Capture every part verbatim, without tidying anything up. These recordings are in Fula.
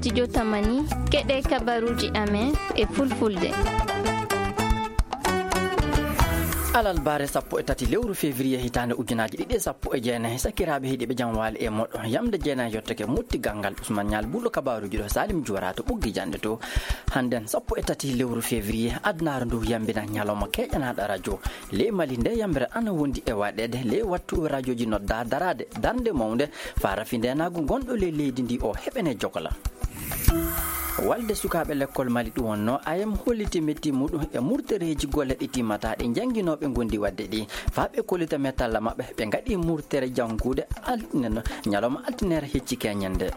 Studio Tamani, keɗe kabaruuji amen e fulfulde. Alarba sappo e tati lewru février hitaande ujunaaji ɗiɗi e sappo e jeenayi, sakiraaɓe heɗiiɓe, jam waali e moɗon. Yamde jeenayi yottake motti ganngal Usman Ñaal Bullo, kabaruuji ɗo Salim Juwara to ɓoggi jannde to. Hannden sappo e tati lewru février, adunaaru ndu yambina ñalawma keƴanaaɗo radio. Ley Mali nde yambere ana wondi e waɗeede ley wattu radioji nodda daraade darnde mawnde faa rafi ndeenaagu ngonɗo ley leydi ndi o heɓene jogola. Walde sukaaɓe lekkol Mali ɗum wonnoo ayam holliti metti muɗum e murtereeji golle ɗi timmata ɗi jannginooɓe ngondi waɗde ɗi. Faa ɓe kollita mettalla maɓɓe, ɓe ngaɗi murtere janngude altine, ñalawma altinere hecci keñen nde.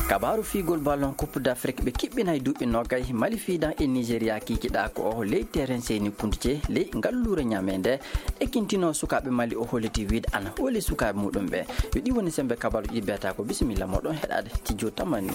Kabaaru fiigol ballon Coupe d'Afrique, ɓe kiɓɓinay duuɓi noogay Mali fiidan e Nigeria kiikiɗaa ko o ley terrain Seyni Kunduce ley ngalluure Ñaame nde. Ekkintinoo sukaaɓe Mali o holliti wiide ana hooli sukaaɓe muɗum ɓe. Yo ɗi woni sembe kabaaruuji ɗi beetaa ko. Bisimilla moɗon heɗaade Studio Tamani.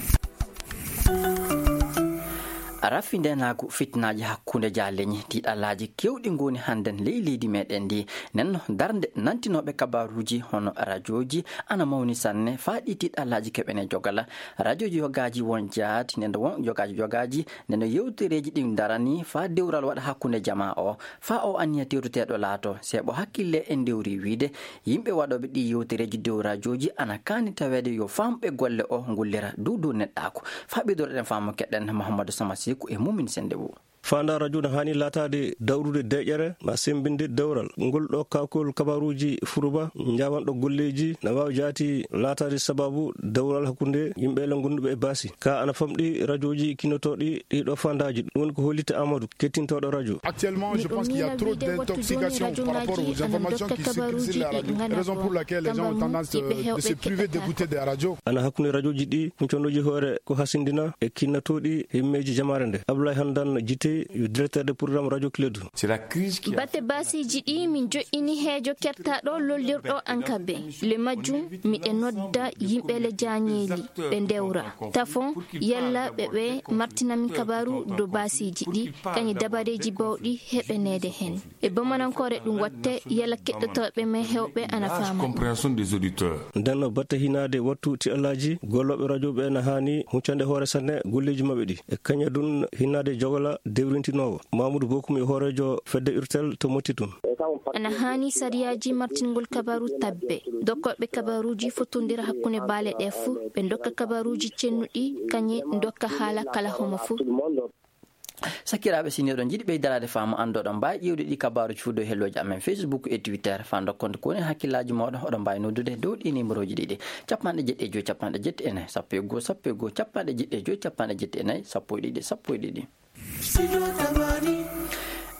Rafi ndeenaagu, fitinaaji hakkunde jaaleñi, tiiɗallaaji keewɗi ngoni hannden ley leydi meɗen ndi. Nenno darnde nantinooɓe kabaaruuji hono rajooji ana mawni sanne faa ɗi tiiɗallaaji keɓene jogala. Rajooji yogaaji won jaati, nden won yogaaji yogaaji, nden yewtereeji ɗin darani faa dewral waɗa hakkunde jamaa o. Faa o anniya tewteteeɗo laato, seeɓo hakkille en dewri wiide, yimɓe waɗooɓe ɗi yewtereeji dow rajooji ana kaani taweede yo faamɓe golle o ngullira dow dow neɗɗaaku. Faa ɓeydoreɗen faamu keɗen Mahamadou Sama Seku e Mumin Sendebo. Faandaa radio no haani laataade dawrude deƴƴere, ma semmbinde dewral. Ngol ɗo kaakol kabaaruuji Furuba, njaawanɗo golleeji, na waawi jaati laataade sabaabu dewral hakkunde yimɓe le ngonduɓe e baasi. Ka ana famɗi rajooji kinnotooɗi ɗii ɗo faandaaji. Ɗum woni ko hollitta Amadou, kettintooɗo radio. Actuellement, je pense qu'il y a trop d'intoxication par rapport aux informations qui circulent sur la radio. Raison pour laquelle les gens ont tendance de, de se priver d'écouter des radios. Ana hakkunde rajooji ɗi, huncondooji hoore ko hasindina e kinnotooɗi himmeeji jamaare nde. Abdoulaye Handan Jitey, yo directeur de programme Radio Kledu. C'est la crise qui a... Batte baasiiji ɗi min joɗɗini heejo kertaɗo lollirɗo Ankabe. Le majjum, miɗe nodda yimɓe le jaañeeli ɓe ndewra. Tafon, yalla ɓe ɓe martina min kabaaru dow baasiiji ɗi, kañi dabareeji bawɗi heɓaneede heen. E Bamanankoore ɗum waɗte, yalla keɗotooɓe men heewɓe ana faama. Compréhension des auditeurs. Nden no batte hinaade wattu tiɗallaaji, gollooɓe radio ɓe na haani huccande hoore sanne golleeji maɓɓe ɗi. E kaña ɗum hinaade jogola dewrintinoowo. Mamoudou Bokoum e hooreejo fedde Urtel to Motti tun. Ana haani sariyaaji martingol kabaaru tabbe. Dokkooɓe kabaaruuji fottondira hakkunde baale ɗe fuu, ɓe ndokka kabaaruuji cennuɗi, kañe ndokka haala kala homo fuu. Sakiraaɓe, si ni oɗon njiɗi ɓeydaraade faamu, anndoɗon mbaawi ƴeewde ɗi kabaaruuji fuu dow hellooji amen Facebook e Twitter. Faa ndokkon ko woni hakkillaaji mooɗon, oɗon mbaawi noddude dow ɗi nimerooji ɗiɗi: capanɗe jeeɗiɗi e joy, capanɗe jeeɗiɗi e nayi, sappo e go'o, sappo e go'o, capanɗe jeeɗiɗi e joy, capanɗe jeeɗiɗi e nayi, sappo e ɗiɗi, sappo e ɗiɗi.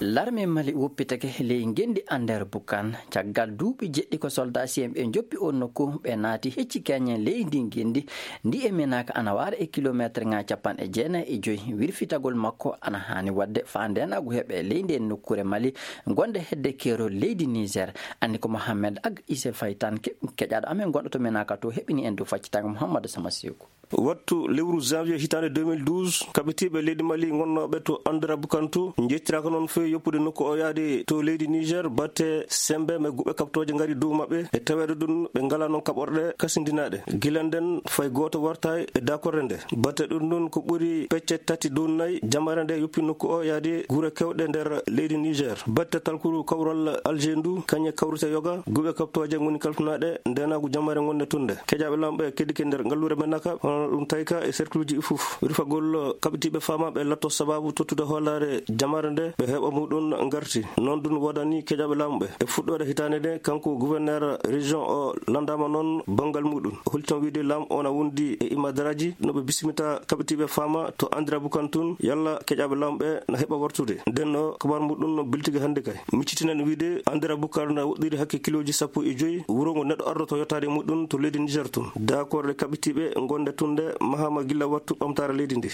Larme Mali woppitake ley ngenndi Ander Bukan caggal duuɓi jeɗɗi ko soldat C M E njoppi on nokku, ɓe naati hecci keñen ley ndi ngenndi. Ndi e Menaka ana waara e kilomeeterŋaaji capanɗe jeenayi e joy. Wirfitagol makko ana haani waɗde faa ndeenaagu heɓe ley ndeen nokkuure Mali gonde hedde keerol leydi Niger. Anndi ko Mohamed Ag Ise Faytan ke-, keƴaaɗo amen gonɗo to Menaka to heɓini en dow faccitaango Mouhamadou Sama Seku. Wattu lewru janvier hitaande deux mille douze, kaɓitiiɓe leydi Mali ngonnooɓe to Andra Bukantu njettiraaka noon fey yoppude nokku o yaade to leydi Niger, batte sembe me guɓe kaɓtooje ngari dow maɓɓe, e taweede ɗum ɓe ngalaa noon kaɓorɗe kasindinaaɗe. Gila nden fay gooto wartaay e daakorde nde. Batte ɗum ɗum ko ɓuri pecce tati dow nayi, jamare nde yoppi nokku o yaade gure kewɗe nder leydi Niger. Batte talkuru kawral Alger ndu, kañe kawrite yoga, guɓe kaɓtooje ngoni kalfinaaɗe ndeenaagu jamare ngonde tunde. Keƴaaɓe laamu ɓe keddike nder ngalluure Menaka, hono ɗum tayka e cercleji ɗi fof. Wirfagol kaɓitiiɓe faamaaɓe latto sabaabu tottude hoolaare jamaare nde ɓe heɓa muɗum ngarti. Noon ɗum woodani keƴaaɓe laamu ɓe. E fuɗɗoode hitaande nde, kanko gouverneur région o lanndaama noon banngal muɗum. O holti toon wiide laamu o na wondi e imadaraaji no ɓe bismita kaɓitiiɓe faama to Andra Bukan tun, yalla keƴaaɓe laamu ɓe na heɓa wartude. Nden no kabaar muɗum no biltigi hannde kay. Miccitinen wiide, Andra Bukar na woɗɗiri hakke kilooji sappo e joy wuro ngo neɗɗo ardoto yottaade muɗum to leydi Niger tun. Daakorɗe kaɓitiiɓe gonde tunde mahama gilla wattu ɓamtaare leydi ndi.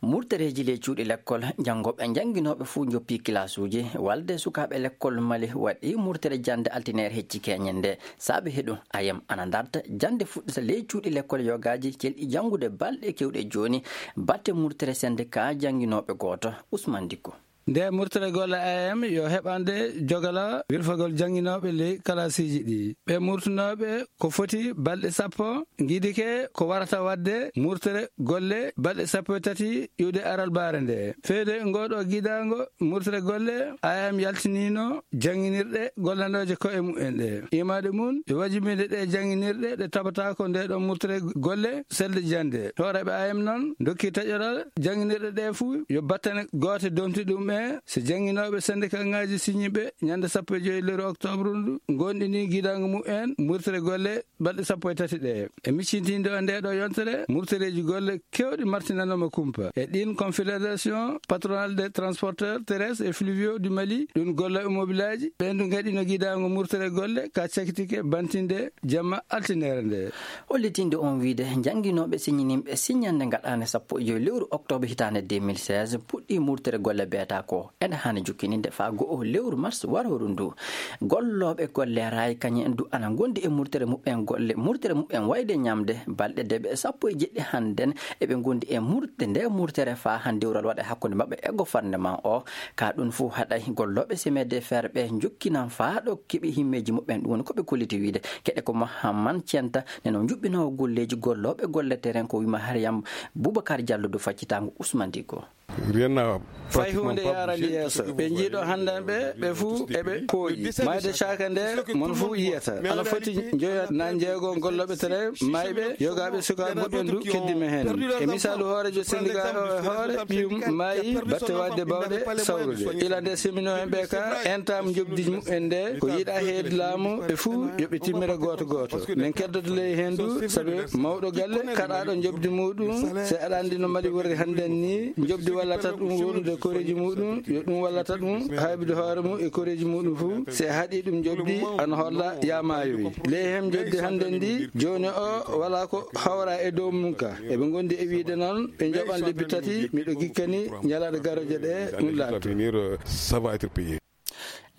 Murtereeji ley cuuɗi lekkol, janngooɓe e jannginooɓe fuu njoppii kilaasuuji. Walde sukaaɓe lekkol Mali waɗi murtere jannde altineere hecci keñen nde. Saabe heɗum, ayam ana darta jannde fuɗɗita ley cuuɗi lekkol yogaaji celɗi janngude balɗe kewɗe jooni. Batte murtere sennde ka jannginooɓe gooto, Ousmane Dicko. Nde murtere golle A M yo heɓande jogala wirfagol jannginooɓe ley kalaasiiji ɗi. Ɓe murtunooɓe ko foti balɗe sappo, ngiidike ko warata waɗde murtere golle balɗe sappo e tati iwde aralbaare nde. Feewde ngooɗo gidaango murtere golle, A M yaltiniino jannginirɗe gollanooje koye mumen ɗe. Imaade mum, yo wajibinde ɗe jannginirɗe ɗe tabata ko nde ɗo murtere golle selde jannde. Hooreeɓe A M noon ndokki taƴoral jannginirɗe ɗe fuu yo battane goote domti ɗum e so jannginooɓe sendikaaŋaaji siñiiɓe ñande sappo e joy lewru octobre ndu ngonɗini gidaango mumen murtere golle balɗe sappo e tati ɗe. E miccintinde o nde ɗo yontere, murtereeji golle keewɗi martinanooma kumpa. E ɗin, Confédération Patronale des Transporteurs Terrestres et Fluviaux du Mali, ɗum gollooɓe mobilaaji, ɓen du ngaɗino gidaango murtere golle ka cakitike bantinde jamma altinere nde. Hollitinde on wiide, jannginooɓe siñininɓe siññande gaɗaande sappo e joy lewru octobre hitaande deux mille seize puɗɗi murtere golle beeta ko ene haani jukkininde faa go'o lewru mars warooru ndu. Gollooɓe golle raay kañum en du ana ngondi e murtere muɓɓen golle, murtere muɓɓen wayde ñamde balɗe deeɓe sappo e jeɗɗi hannden, eɓe ngondi e murte nde murtere faa han dewral waɗa hakkunde maɓɓe e gouvernement o. Ka ɗum fuu haɗay gollooɓe semaine de fer ɓe njokkinan faa ɗo keɓi himmeeji muɓɓen, ɗum woni ko ɓe kolliti wiide. Keɗe ko Mahamman Centa, neno njuɓɓinoowo golleeji gollooɓe golle terrain ko wima Hariyam Boubacar Diallo du faccitaango Ousmane Diko. Rien n'a Fay pratiquement huunde pas yaarande bougé, yeeso. Tout ce que Ɓe vous njiiɗo voyez, hannden ɓe, ɓe fuu eɓe pooyi. Maayde caaka nde, mon fuu yiyata. Ana foti njoyo na njeego gollooɓe terrain, maayɓe, yogaaɓe sukaaɓe muɓɓen du keddima heen. E misaalu hooreejo sendika o e hoore ɓiyum maayi batte waɗde bawɗe sawrude. Ila nde semino en ɓe ka, entaam njobdi muɓɓen nde, ko yiɗa heedi laamu ɓe fuu yo ɓe timmira gooto gooto. Men keddoto ley heen du, sabi mawɗo galle kaɗaaɗo njobdi muuɗum, se aɗa anndi no Mali woni hannden ni, njobdi wallata ɗum woɗɗude koreeji muuɗum, yo ɗum wallata ɗum haybude hoore mum e koreeji muuɗum fuu, se haɗi ɗum njobdi ana holla ya maayoyi. Ley heen njobdi hannden ndi, jooni o wala ko hawra e dow mum ka. Eɓe ngondi e wiide noon, ɓe njaɓan lebbi tati, miɗo gikkani ñalaaɗe garooje ɗe ɗum laatto. L'avenir, euh, ça va être payé.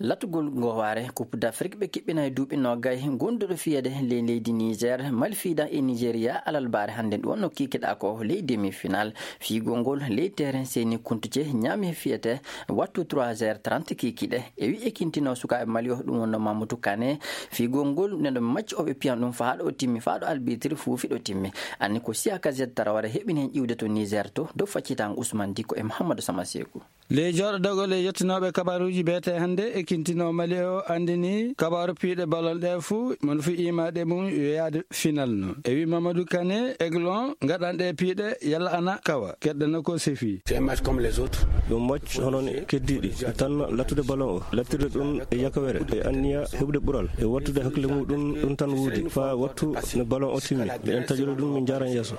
Latugol ngowaare Coupe d'Afrique ɓe kiɓɓina e duuɓi noogay, gonduɗo fiyede ley leydi Niger, Malfida e Nigeria, alalbaare hannde ɗum wonno kikiɗa ko ley demi-final. Fiigol ngol ley terrain Seni Kuntuce ñaami fiyete wattu trois heures trente kikiɗe. E wi ekintino sukaaɓe Mali o ɗum wonno Mamadou Kane. Fiigol ngol neno match o ɓe piyan ɗum faa ɗo timmi, faa ɗo arbitre fuufi ɗo timmi. Anni ko Siaka Z Tarawara heɓini heen ƴiwde to Niger to, dow faccitango Ousmane Diko e Mouhamadou Samasekou. Ley jooɗodagol e yettinooɓe kabaaruuji beete hannde, ekintino Mali o anndini kabaaru piiɗe ballon ɗe fuu, mon fuu imaɗe mum yo yaade final no. E wi Mamadou Kane, Aiglon, ngaɗan ɗe piiɗe, yalla ana kawa, keɗɗano ko sefi. C'est un match comme les autres. Ɗum match hono ne keddiiɗi, tan lattude ballon o, lattirde ɗum e yakawere, e anniya heɓude ɓural, e wattude hakkille muɗum, ɗum tan wuudi. Faa wattu no ballon o timmi, miɗen taƴori ɗum, min njaaran yeeso.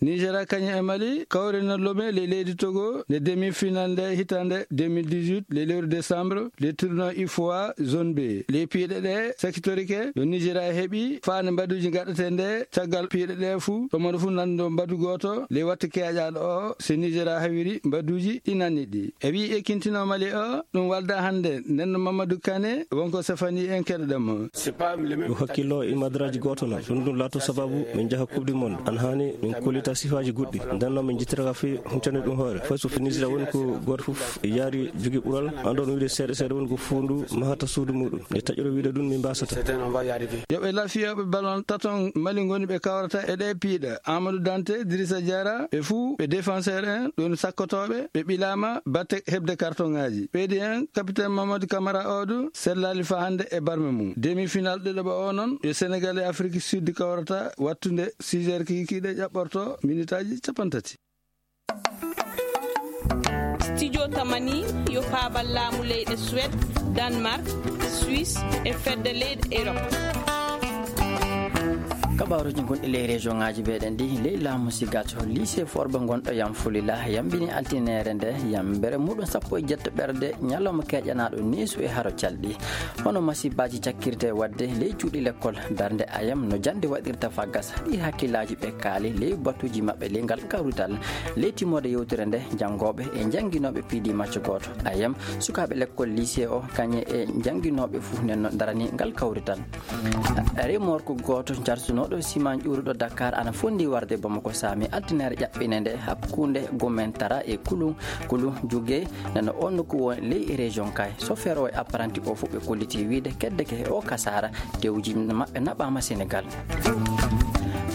Nigeria kañum e Mali kawrino lome ley leydi Togo nde demi-final nde hitaande deux mille dix-huit, le lewru décembre, le tournoi U F O A zone B. Ley piiɗe ɗe sakitorike, yo Nigeria heɓi faande mbaduuji gaɗete nde, caggal piiɗe ɗe fuu, ɗo moɗo fuu nanndo mbadu gooto, ley wattu keeƴaaɗo o, si Nigeria hawiri mbaduuji ɗi nanni ɗi. E wi ekintino Mali o, ɗum walda hannde, nden no Mamadou Kane, wonko sefani en keɗoɗen mo. Ɗum hakkillo e madraji gooto noon. Ɗum ɗum laato sababu min njaha Coupe du Monde. An haani min kollita sifaaji goɗɗi. Nden noon min njittira ka fii huccande ɗum hoore. Fay so Nigeria woni ko gooto fof yaari jogi ɓural. An ɗon wiide seeɗa seeɗa woni ko fuundu mahata suudu muɗum. Nde taƴoro wiide ɗum min mbasata. Yo ɓe la fiyooɓe ballon taton Mali ngoni ɓe kawrata e ɗe piiɗa. Amadou Dante, Idrissa Diarra, ɓe fuu ɓe défenseur en, ɗon sakkotooɓe, ɓe ɓilaama batte heɓde kartoŋaaji. Ɓeydi en, capitaine Mamadou Camara o du sellaali faa hannde e barme mum. Demi-final ɗiɗaɓo o noon, yo Senegal e Afrique Sud kawrata wattunde six heures kikiiɗe ƴaɓɓorto minitaaji cappanɗe tati. Studio Tamani yo paabal laamu leyɗe Suède, Danemark, Suisse e fedde leyɗe Europe. Kabaaruuji gonɗi ley région ŋaaji meɗen ɗi, ley laamu Sigaco, lycée Forba gonɗo Yam Fulila yambini altinere nde yambere muɗum sappo e jeetto ɓerde, ñalawma keeƴanaaɗo neesu e haro calɗi. Hono masiibaaji cakkirte waɗde ley cuuɗi lekkol, darnde A M no jannde waɗirta faa gasa, ɗi hakkillaaji ɓe kaali ley batuuji maɓɓe ley ngal kawrital. Ley timmoode yewtere nde, janngooɓe e jannginooɓe piidi macco gooto. A M, sukaaɓe lekkol lycée o, kañe e jannginooɓe fuu nen no darani ngal kawrital. Remorque gooto jarsuno Ɗo siman ƴuuruɗo Dakar ana fondi warde Bamako saami altinaare ƴaɓɓine nde hakkunde Gomentara e Kulu Kulu Juge. Nana on nokku won ley région kay. Sofeer o e apprenti o fof ɓe kolliti wiide kedde ke o kasara tewji maɓɓe naɓama Sénégal.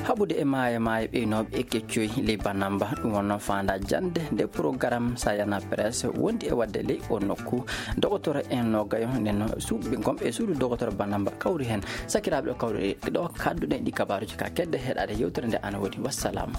Haɓude e maayo maayo ɓeynooɓe e keccoy ley Banamba, ɗum wonno faanda jannde nde programme Sayana Presse wondi e wadde ley o nokku. Dogotoro en nogayo nden suuɓe gomɓe e suudu dogotoro Banamba kawri hen. Sakiraaɓe ɗo kawri ɗo kadduɗen ɗi kabaruji ka kedde heɗade yewtere nde ana woni. Wassalam.